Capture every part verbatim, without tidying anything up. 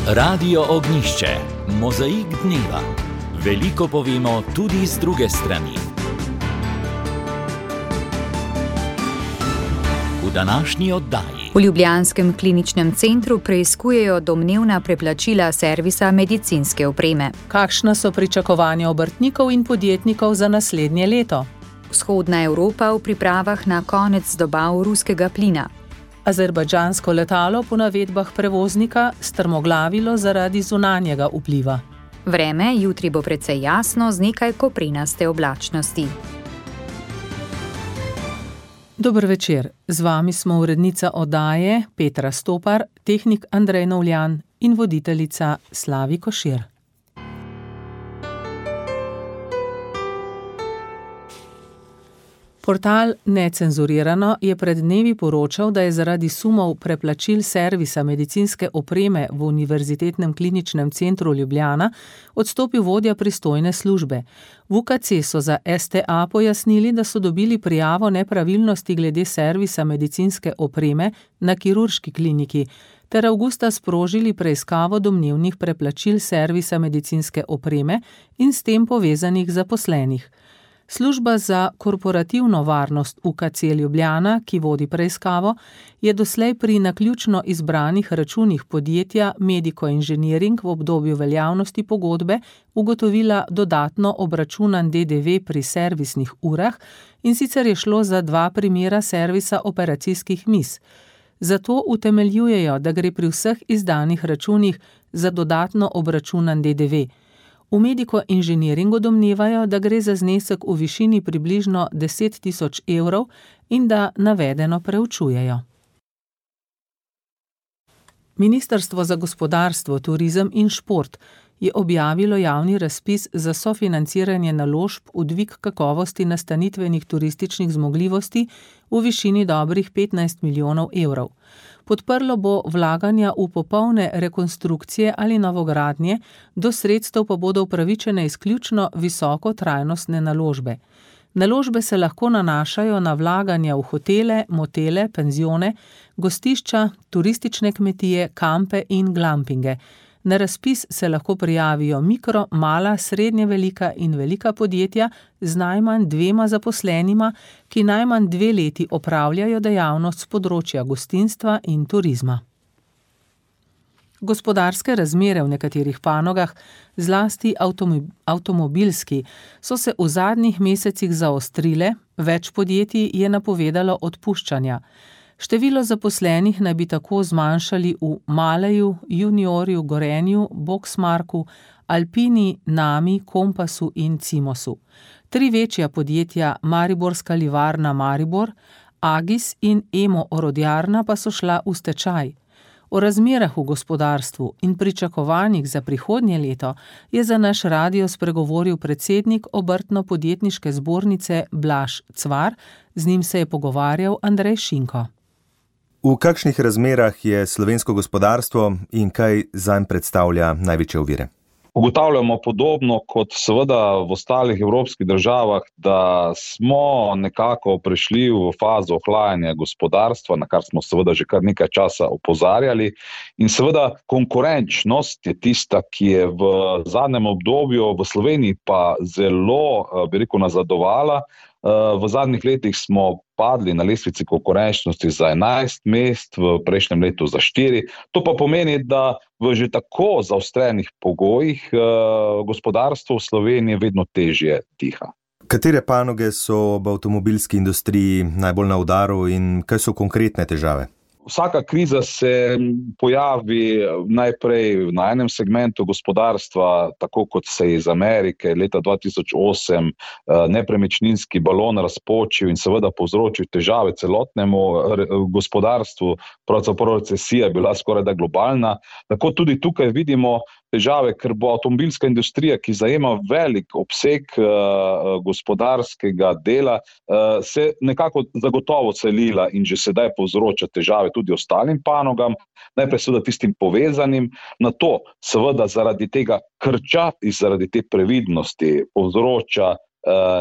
Radio Ognišče, mozaik dneva. Veliko povemo tudi z druge strani. V današnji oddaji. V ljubljanskem kliničnem centru preiskujejo domnevna preplačila servisa medicinske opreme. Kakšna so pričakovanja obrtnikov in podjetnikov za naslednje leto? Vzhodna Evropa v pripravah na konec dobav ruskega plina. Azerbajdžansko letalo po navedbah prevoznika strmoglavilo zaradi zunanjega vpliva. Vreme jutri bo precej jasno z nekaj koprenaste oblačnosti. Dober večer, z vami smo urednica oddaje Petra Stopar, tehnik Andrej Novljan in voditeljica Slavi Košir. Portal Necenzurirano je pred dnevi poročal, da je zaradi sumov preplačil servisa medicinske opreme v Univerzitetnem kliničnem centru Ljubljana odstopil vodja pristojne službe. V U K C so za S T A pojasnili, da so dobili prijavo nepravilnosti glede servisa medicinske opreme na kirurški kliniki, ter avgusta sprožili preiskavo domnevnih preplačil servisa medicinske opreme in s tem povezanih zaposlenih. Služba za korporativno varnost U K C Ljubljana, ki vodi preiskavo, je doslej pri naključno izbranih računih podjetja Medico Engineering v obdobju veljavnosti pogodbe ugotovila dodatno obračunan D D V pri servisnih urah, in sicer je šlo za dva primera servisa operacijskih miz. Zato utemeljujejo, da gre pri vseh izdanih računih za dodatno obračunan D D V. V Medico Engineeringu domnevajo, da gre za znesek v višini približno deset tisoč evrov in da navedeno preučujejo. Ministrstvo za gospodarstvo, turizem in šport je objavilo javni razpis za sofinanciranje naložb v dvig kakovosti nastanitvenih turističnih zmogljivosti v višini dobrih petnajst milijonov evrov. Podprlo bo vlaganja v popolne rekonstrukcije ali novogradnje, do sredstev pa bodo upravičene izključno visoko trajnostne naložbe. Naložbe se lahko nanašajo na vlaganja v hotele, motele, penzione, gostišča, turistične kmetije, kampe in glampinge. Na razpis se lahko prijavijo mikro, mala, srednje velika in velika podjetja z najmanj dvema zaposlenima, ki najmanj dve leti opravljajo dejavnost s področja gostinstva in turizma. Gospodarske razmere v nekaterih panogah, zlasti avtomobilski, so se v zadnjih mesecih zaostrile, več podjetij je napovedalo odpuščanja. Število zaposlenih naj bi tako zmanjšali v Maleju, Juniorju, Gorenju, Boxmarku, Alpini, Nami, Kompasu in Cimosu. Tri večja podjetja, Mariborska livarna Maribor, Agis in Emo Orodjarna, pa so šla v stečaj. O razmerah v gospodarstvu in pričakovanjih za prihodnje leto je za naš radio spregovoril predsednik Obrtno-podjetniške zbornice Blaž Cvar, z njim se je pogovarjal Andrej Šinko. V kakšnih razmerah je slovensko gospodarstvo in kaj zanj predstavlja največje ovire? Ugotavljamo podobno kot seveda v ostalih evropskih državah, da smo nekako prišli v fazo ohlajanja gospodarstva, na kar smo seveda že kar nekaj časa opozarjali. In seveda konkurenčnost je tista, ki je v zadnjem obdobju v Sloveniji pa zelo, bi rekel, nazadovala. V zadnjih letih smo padli na lestvici konkurenčnosti za enajst mest, v prejšnjem letu za štiri. To pa pomeni, da v že tako zaostrenih pogojih gospodarstvo v Sloveniji vedno težje diha. Katere panoge so v avtomobilski industriji najbolj na udaru in kaj so konkretne težave? Vsaka kriza se pojavi najprej na enem segmentu gospodarstva, tako kot se je iz Amerike leta dva tisoč osem nepremičninski balon razpočil in seveda povzročil težave celotnemu gospodarstvu, pravzaprav recesija je bila skorajda globalna. Tako tudi tukaj vidimo težave, ker bo avtomobilska industrija, ki zajema velik obseg uh, gospodarskega dela, uh, se nekako zagotovo selila in že sedaj povzroča težave tudi ostalim panogam, najprej seveda tistim povezanim, na to seveda zaradi tega krča in zaradi te previdnosti povzroča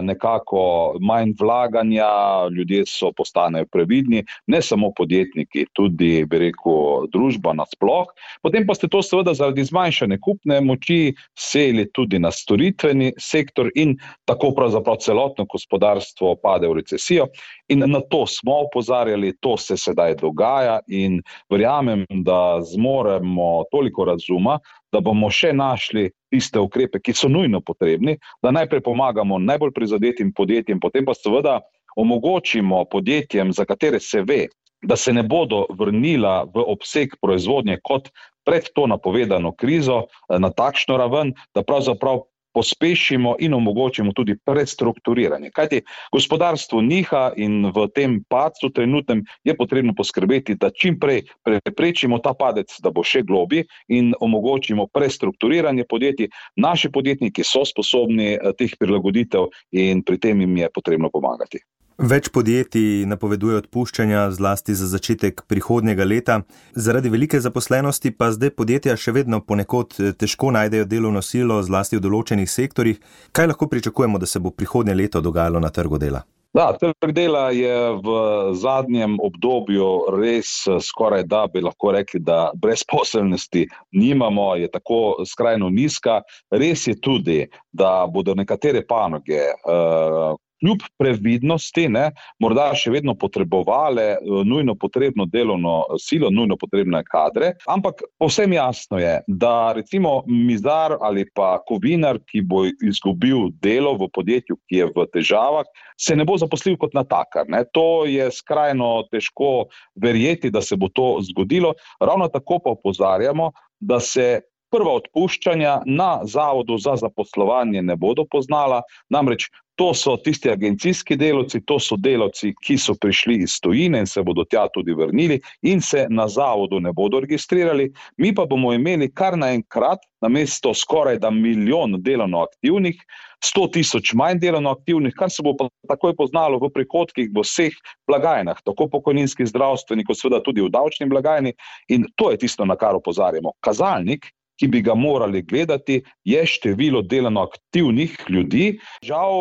nekako manj vlaganja, ljudje so postanejo previdni, ne samo podjetniki, tudi, bi rekel, družba nasploh. Potem pa ste to seveda zaradi zmanjšane kupne moči seli tudi na storitveni sektor in tako pravzaprav celotno gospodarstvo pade v recesijo. In na to smo opozarjali, to se sedaj dogaja in verjamem, da zmoremo toliko razuma, da bomo še našli tiste ukrepe, ki so nujno potrebni, da najprej pomagamo najbolj prizadetim podjetjem, potem pa seveda omogočimo podjetjem, za katere se ve, da se ne bodo vrnila v obseg proizvodnje kot pred to napovedano krizo na takšno raven, da pravzaprav pospešimo in omogočimo tudi prestrukturiranje. Kajti gospodarstvo niha in v tem padcu trenutnem je potrebno poskrbeti, da čim prej preprečimo ta padec, da bo še globlji in omogočimo prestrukturiranje podjetij. Naši podjetniki so sposobni teh prilagoditev in pri tem jim je potrebno pomagati. Več podjetij napoveduje odpuščanja zlasti za začetek prihodnjega leta. Zaradi velike zaposlenosti pa zdaj podjetja še vedno ponekod težko najdejo delovno silo, zlasti v določenih sektorjih. Kaj lahko pričakujemo, da se bo prihodnje leto dogajalo na trgu dela? Da, trg dela je v zadnjem obdobju res skoraj da bi lahko rekli, da brezposelnosti nimamo, je tako skrajno nizka. Res je tudi, da bodo nekatere panoge uh, kljub previdnosti, ne, morda še vedno potrebovale nujno potrebno delovno silo, nujno potrebne kadre, ampak povsem jasno je, da recimo mizar ali pa kovinar, ki bo izgubil delo v podjetju, ki je v težavah, se ne bo zaposlil kot natakar. Ne. To je skrajno težko verjeti, da se bo to zgodilo. Ravno tako pa opozarjamo, da se prva odpuščanja na Zavodu za zaposlovanje ne bodo poznala, namreč to so tisti agencijski delavci, to so delavci, ki so prišli iz tujine in se bodo tja tudi vrnili in se na zavodu ne bodo registrirali. Mi pa bomo imeli kar naenkrat namesto skoraj da milijon delovno aktivnih, sto tisoč manj delovno aktivnih, kar se bo pa takoj poznalo v prihodkih v vseh blagajnah, tako pokojninski, zdravstveni, kot seveda tudi v davčni blagajni. In to je tisto, na kar opozarjamo. Kazalnik, ki bi ga morali gledati, je število delovno aktivnih ljudi. Žal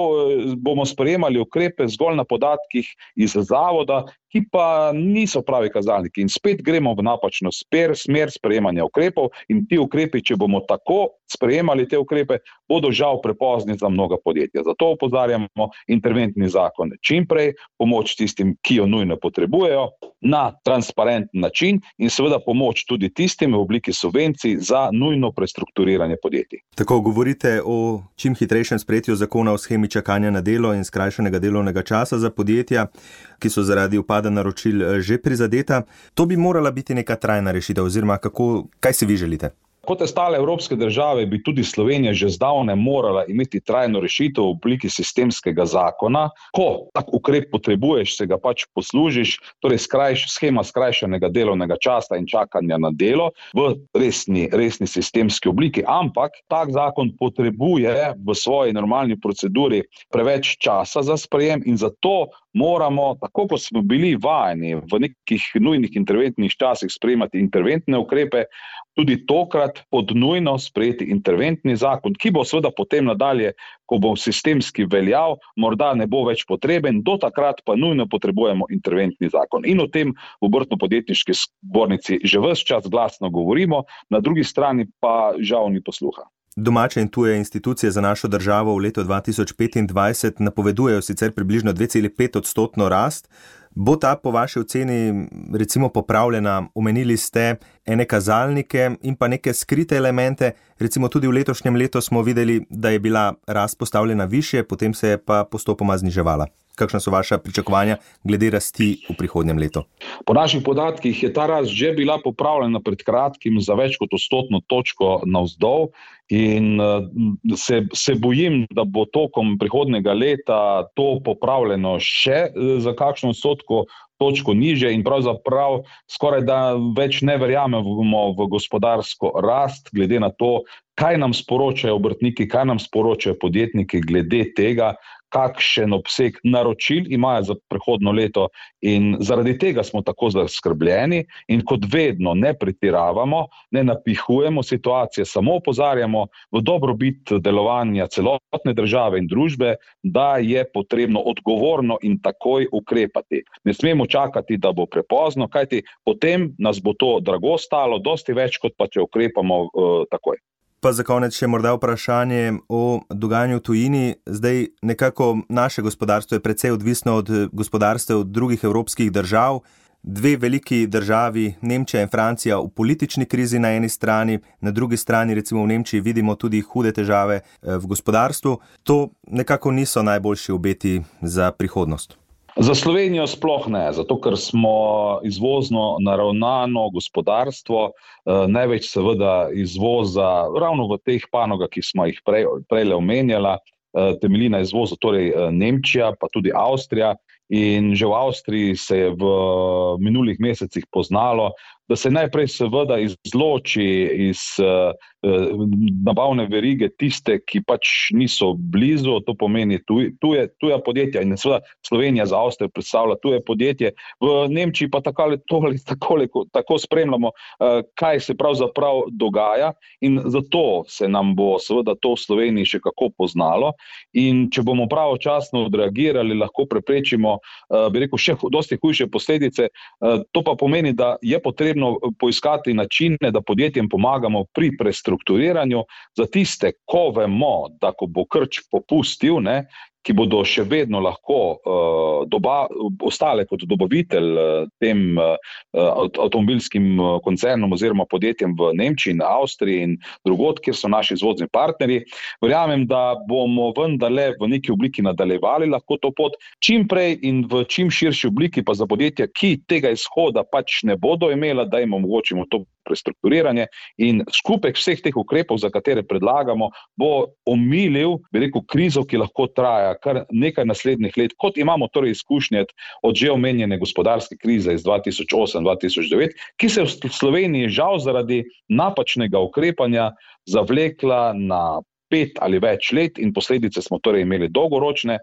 bomo sprejemali ukrepe zgolj na podatkih iz zavoda, ki pa niso pravi kazalniki. In spet gremo v napačno smer, smer sprejemanja ukrepov in ti ukrepi, če bomo tako sprejemali te ukrepe, bodo žal prepozni za mnoga podjetja. Zato opozarjamo interventni zakon čim prej, pomoč tistim, ki jo nujno potrebujejo, na transparenten način in seveda pomoč tudi tistim v obliki subvencij za nujno prestrukturiranje podjetij. Tako govorite o čim hitrejšem sprejetju zakona o shemi čakanja na delo in skrajšanega delovnega časa za podjetja, ki so zaradi upada naročil že prizadeta. To bi morala biti neka trajna rešitev, oziroma kako, kaj si vi želite? Kot ostale evropske države bi tudi Slovenija že zdavnaj morala imeti trajno rešitev v obliki sistemskega zakona. Ko tak ukrep potrebuješ, se ga pač poslužiš, torej skrajš, shema skrajšanega delovnega časa in čakanja na delo v resni, resni sistemski obliki. Ampak tak zakon potrebuje v svoji normalni proceduri preveč časa za sprejem in zato moramo, tako kot smo bili vajeni v nekih nujnih interventnih časih sprejemati interventne ukrepe, tudi tokrat pod nujno sprejeti interventni zakon, ki bo seveda potem nadalje, ko bo sistemski veljal, morda ne bo več potreben, do takrat pa nujno potrebujemo interventni zakon. In o tem v Obrtno-podjetniški zbornici že ves čas glasno govorimo, na drugi strani pa žal ni posluha. Domače in tuje institucije za našo državo v letu dva tisoč petindvajset napovedujejo sicer približno dve celi pet odstotno rast. Bo ta po vaši oceni recimo popravljena? Omenili ste ene kazalnike in pa neke skrite elemente. Recimo tudi v letošnjem letu smo videli, da je bila rast postavljena višje, potem se je pa postopoma zniževala. Kakšna so vaša pričakovanja glede rasti v prihodnjem letu? Po naših podatkih je ta rast že bila popravljena pred kratkim za več kot odstotno točko navzdol in se, se bojim, da bo tokom prihodnjega leta to popravljeno še za kakšno odstotko točko niže in pravzaprav skoraj da več ne verjamemo v gospodarsko rast, glede na to, kaj nam sporočajo obrtniki, kaj nam sporočajo podjetniki glede tega, kakšen obseg naročil imajo za prihodnjo leto, in zaradi tega smo tako zaskrbljeni in kot vedno ne pretiravamo, ne napihujemo situacije, samo opozarjamo v dobrobit delovanja celotne države in družbe, da je potrebno odgovorno in takoj ukrepati. Ne smemo čakati, da bo prepozno, kajti potem nas bo to drago stalo, dosti več, kot pa če ukrepamo uh, takoj. Pa za konec še morda vprašanje o dogajanju v tujini. Zdaj nekako naše gospodarstvo je precej odvisno od gospodarstev drugih evropskih držav. Dve veliki državi, Nemčija in Francija, v politični krizi na eni strani, na drugi strani recimo v Nemčiji vidimo tudi hude težave v gospodarstvu. To nekako niso najboljši obeti za prihodnost. Za Slovenijo sploh ne, zato ker smo izvozno naravnano gospodarstvo, eh, največ seveda izvoza ravno v teh panogah, ki smo jih prej, prejle omenjala, eh, temelji na izvozu, torej eh, Nemčija, pa tudi Avstrija, in že v Avstriji se je v minulih mesecih poznalo, da se najprej seveda izloči iz uh, nabavne verige tiste, ki pač niso blizu, to pomeni tuj, tuje, tuja podjetja, in seveda Slovenija za Avstrijo predstavlja tuje podjetje. V Nemčiji pa tako, tako, tako spremljamo, uh, kaj se pravzaprav dogaja, in zato se nam bo seveda to v Sloveniji še kako poznalo, in če bomo pravočasno odreagirali, lahko preprečimo, uh, bi rekel, še dosti hujše posledice. Uh, to pa pomeni, da je potrebno poiskati načine, da podjetjem pomagamo pri prestrukturiranju. Za tiste, ko vemo, da ko bo krč popustil, ne, ki bodo še vedno lahko uh, doba, ostale kot dobavitelj uh, tem uh, avtomobilskim koncernom oziroma podjetjem v Nemčiji in Avstriji in drugod, kjer so naši izvozni partnerji. Verjamem, da bomo vendarle v neki obliki nadaljevali lahko to pot čim prej in v čim širši obliki, pa za podjetja, ki tega izhoda pač ne bodo imela, da jim omogočimo to prestrukturiranje, in skupek vseh teh ukrepov, za katere predlagamo, bo omilil, bi rekel, krizo, ki lahko traja kar nekaj naslednjih let, kot imamo torej izkušnje od že omenjene gospodarske krize iz dva tisoč osem dva tisoč devet, ki se v Sloveniji žal zaradi napačnega ukrepanja zavlekla na pet ali več let, in posledice smo torej imeli dolgoročne.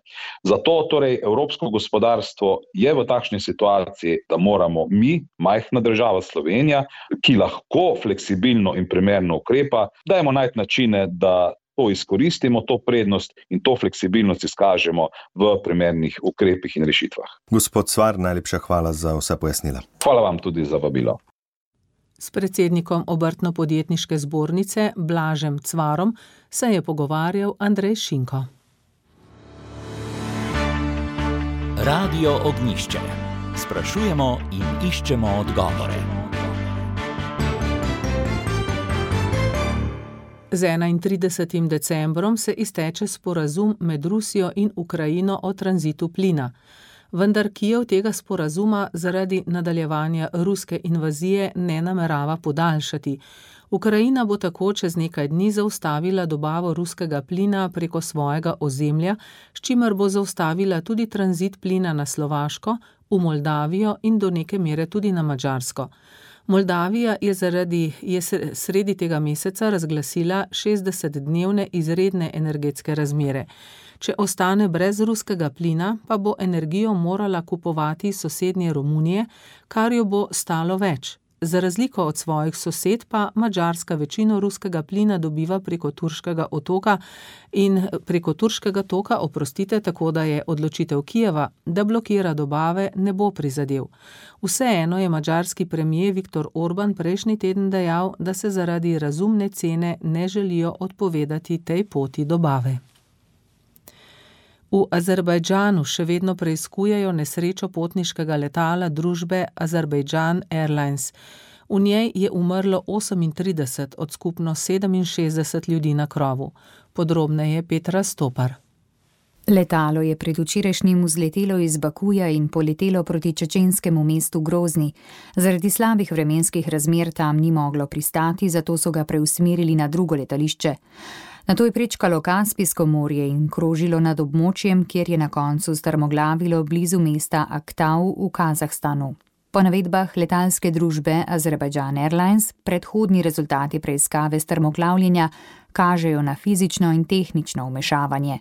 Zato torej evropsko gospodarstvo je v takšni situaciji, da moramo mi, majhna država Slovenija, ki lahko fleksibilno in primerno ukrepa, dajmo najti načine, da to izkoristimo, to prednost in to fleksibilnost izkažemo v primernih ukrepih in rešitvah. Gospod Cvar, najlepša hvala za vsa pojasnila. Hvala vam tudi za vabilo. S predsednikom Obrtno-podjetniške zbornice Blažem Cvarom se je pogovarjal Andrej Šinko. Radio Ognjišče. Sprašujemo in iščemo odgovore. Z enaintridesetim decembrom se izteče sporazum med Rusijo in Ukrajino o tranzitu plina. Vendar Kijev tega sporazuma zaradi nadaljevanja ruske invazije ne namerava podaljšati. Ukrajina bo tako čez nekaj dni zaustavila dobavo ruskega plina preko svojega ozemlja, s čimer bo zaustavila tudi tranzit plina na Slovaško, v Moldavijo in do neke mere tudi na Madžarsko. Moldavija je zaradi je sredi tega meseca razglasila šestdesetdnevne izredne energetske razmere. Če ostane brez ruskega plina, pa bo energijo morala kupovati iz sosednje Romunije, kar jo bo stalo več. Za razliko od svojih sosed pa Madžarska večino ruskega plina dobiva preko Turškega otoka in preko Turškega toka, oprostite, tako da je odločitev Kijeva, da blokira dobave, ne bo prizadel. Vseeno je madžarski premier Viktor Orban prejšnji teden dejal, da se zaradi razumne cene ne želijo odpovedati tej poti dobave. V Azerbajdžanu še vedno preiskujejo nesrečo potniškega letala družbe Azerbaijan Airlines. V njej je umrlo osemintrideset od skupno sedeminšestdeset ljudi na krovu. Podrobneje Petra Stopar. Letalo je predvčerajšnjim vzletelo iz Bakuja in poletelo proti čečenskemu mestu Grozni. Zaradi slabih vremenskih razmer tam ni moglo pristati, zato so ga preusmerili na drugo letališče. Nato je prečkalo Kaspijsko morje in krožilo nad območjem, kjer je na koncu strmoglavilo blizu mesta Aktau v Kazahstanu. Po navedbah letalske družbe Azerbaijan Airlines, predhodni rezultati preiskave strmoglavljenja kažejo na fizično in tehnično vmešavanje.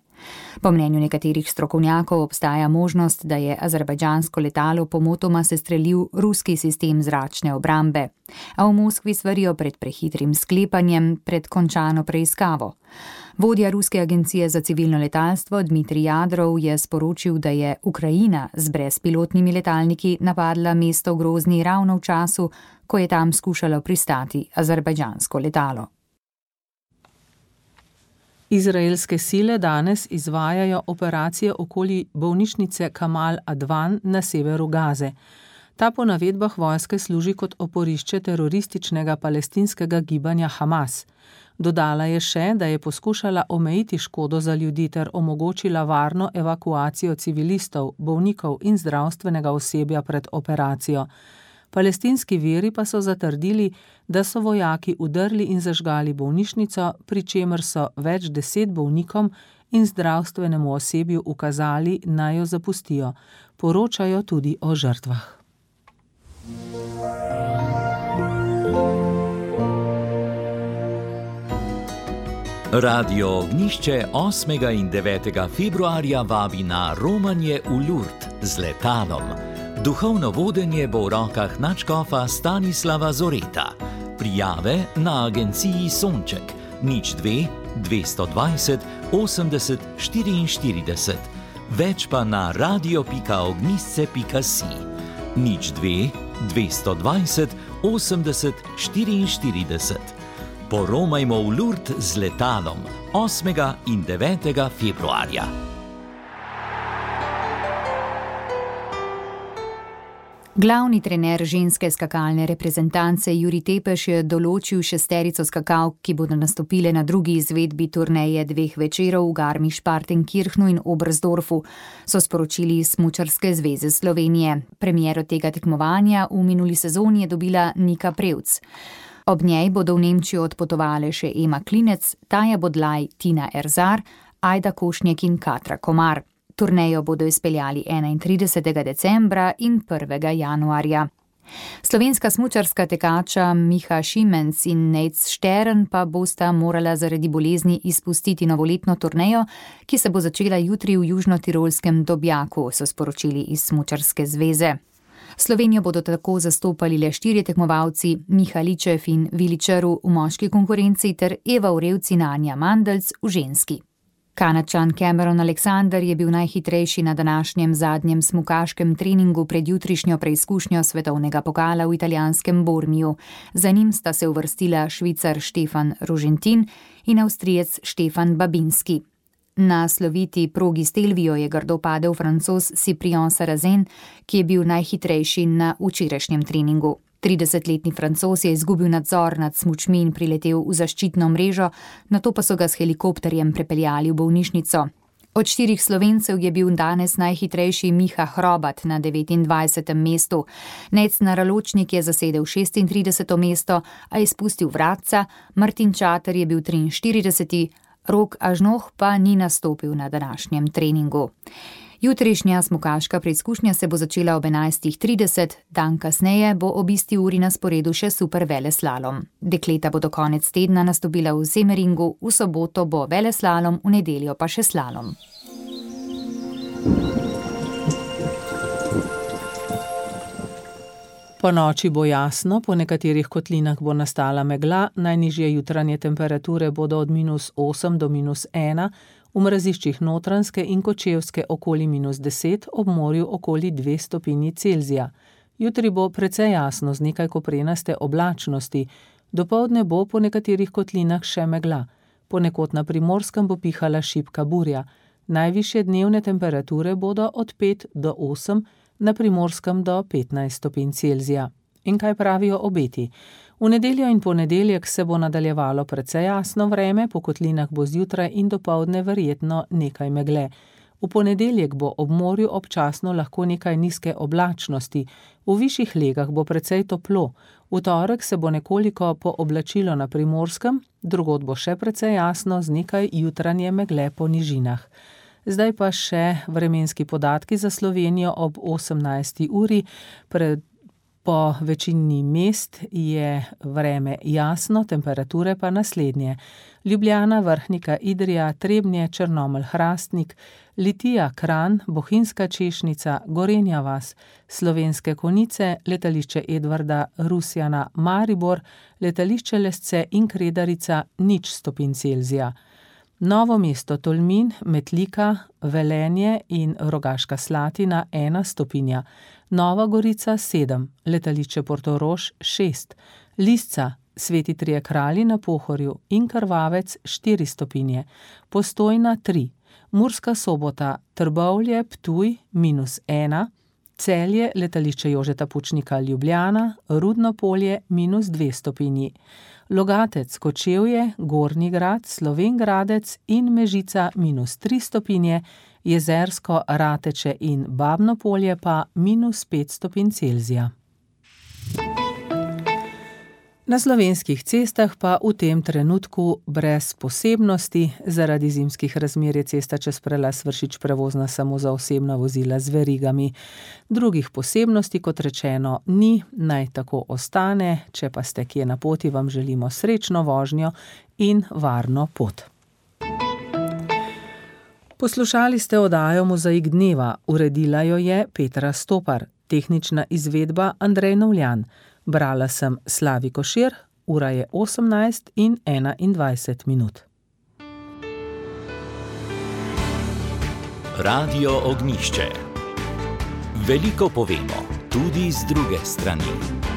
Po mnenju nekaterih strokovnjakov obstaja možnost, da je azerbajdžansko letalo pomotoma sestrelil ruski sistem zračne obrambe, a v Moskvi svarijo pred prehitrim sklepanjem pred končano preiskavo. Vodja ruske agencije za civilno letalstvo Dmitrij Jadrov je sporočil, da je Ukrajina z brezpilotnimi letalniki napadla mesto Grozni ravno v času, ko je tam skušalo pristati azerbajdžansko letalo. Izraelske sile danes izvajajo operacije okoli bolnišnice Kamal Advan na severu Gaze. Ta po navedbah vojske služi kot oporišče terorističnega palestinskega gibanja Hamas. Dodala je še, da je poskušala omejiti škodo za ljudi ter omogočila varno evakuacijo civilistov, bolnikov in zdravstvenega osebja pred operacijo. Palestinski viri pa so zatrdili, da so vojaki udrli in zažgali bolnišnico, pri čemer so več deset bolnikom in zdravstvenemu osebju ukazali, naj jo zapustijo. Poročajo tudi o žrtvah. Radio Ognjišče osmega in devetega februarja vabi na romanje v Lurd z letalom. Duhovno vodenje bo v rokah nadškofa Stanislava Zoreta. Prijave na agenciji Sonček nič dve dvesto dvajset osemdeset štiriinštirideset. Več pa na radio pika ognjisce pika si. nič dve dvesto dvajset osemdeset štiriinštirideset. Poromajmo v Lurd z letalom osmega in devetega februarja. Glavni trener ženske skakalne reprezentance Jurij Tepeš je določil šesterico skakalk, ki bodo nastopile na drugi izvedbi turneje dveh večerov v Garmisch-Partenkirchnu in Oberstdorfu, so sporočili iz Smučarske zveze Slovenije. Premiero tega tekmovanja v minuli sezoni je dobila Nika Prevc. Ob njej bodo v Nemčijo odpotovale še Ema Klinec, Taja Bodlaj, Tina Erzar, Ajda Košnjek in Katra Komar. Turnejo bodo izpeljali enaintridesetega decembra in prvega januarja. Slovenska smučarska tekača Miha Šimenc in Nejc Štern pa bosta morala zaradi bolezni izpustiti novoletno turnejo, ki se bo začela jutri v južnotirolskem Dobjaku, so sporočili iz Smučarske zveze. Slovenijo bodo tako zastopali le štirje tekmovalci, Miha Ličev in Vili Črv v moški konkurenci ter Eva Urevc in Anja Mandelc v ženski. Kanadčan Cameron Alexander je bil najhitrejši na današnjem zadnjem smukaškem treningu pred jutrišnjo preizkušnjo svetovnega pokala v italijanskem Bormiju. Za njim sta se uvrstila Švicar Štefan Rožentin in Avstrijec Štefan Babinski. Na sloviti progi Stelvio je grdo padel Francoz Cyprien Sarrazin, ki je bil najhitrejši na včerajšnjem treningu. tridesetletni Francoz je izgubil nadzor nad smučmi in priletel v zaščitno mrežo, nato pa so ga s helikopterjem prepeljali v bolnišnico. Od štirih Slovencev je bil danes najhitrejši Miha Hrobat na devetindvajsetem mestu. Nejc Naraločnik je zasedel šestintrideseto mesto, a je spustil vratca, Martin Čater je bil triinštirideseti, Rok Ažnoh pa ni nastopil na današnjem treningu. Jutrišnja smukaška preizkušnja se bo začela ob enajstih trideset, dan kasneje bo ob isti uri na sporedu še super veleslalom. Dekleta bodo konec tedna nastopila v Semeringu, v soboto bo veleslalom, v nedeljo pa še slalom. Po noči bo jasno, po nekaterih kotlinah bo nastala megla, najnižje jutranje temperature bodo od minus osem do minus ena, v mraziščih Notranjske in Kočevske okoli minus deset, ob morju okoli dve stopinji Celzija. Jutri bo precej jasno z nekaj koprenaste oblačnosti, dopoldne bo po nekaterih kotlinah še megla. Ponekod na Primorskem bo pihala šibka burja. Najvišje dnevne temperature bodo od pet do osem, na Primorskem do petnajst stopinj Celzija. In kaj pravijo obeti? V nedeljo in ponedeljek se bo nadaljevalo precej jasno vreme, po kotlinah bo zjutraj in dopoldne verjetno nekaj megle. V ponedeljek bo ob morju občasno lahko nekaj nizke oblačnosti, v višjih legah bo precej toplo. V torek se bo nekoliko pooblačilo na Primorskem, drugod bo še precej jasno z nekaj jutranje megle po nižinah. Zdaj pa še vremenski podatki za Slovenijo ob osemnajsti uri. Pred Po večini mest je vreme jasno, temperature pa naslednje. Ljubljana, Vrhnika, Idrija, Trebnje, Črnomelj, Hrastnik, Litija, Kranj, Bohinjska Češnica, Gorenja vas, Slovenske Konjice, letališče Edvarda, Rusjana, Maribor, letališče Lesce in Kredarica nič stopinj Celzija. Novo mesto, Tolmin, Metlika, Velenje in Rogaška Slatina ena stopinja, Nova Gorica sedem, letališče Portorož šest, Lisca, Sveti Trije Kralji na Pohorju in Krvavec štiri stopinje, Postojna tri, Murska Sobota, Trbovlje, Ptuj minus ena, Celje, letališče Jožeta Pučnika, Ljubljana, Rudno Polje minus dve stopinji, Logatec, Kočevje, Gornji Grad, Slovenj Gradec in Mežica minus tri stopinje, Jezersko, Rateče in Babno Polje pa minus pet stopinj Celzija. Na slovenskih cestah pa v tem trenutku brez posebnosti, zaradi zimskih razmer je cesta čez prelaz Vršič prevozna samo za osebna vozila z verigami. Drugih posebnosti, kot rečeno, ni, naj tako ostane, če pa ste kje na poti, vam želimo srečno vožnjo in varno pot. Poslušali ste oddajo Mozaik dneva, uredila jo je Petra Stopar, tehnična izvedba Andrej Novljan. Brala sem Slavi Košir, ura je osemnajst in enaindvajset minut. Radio Ognjišče. Veliko povemo, tudi z druge strani.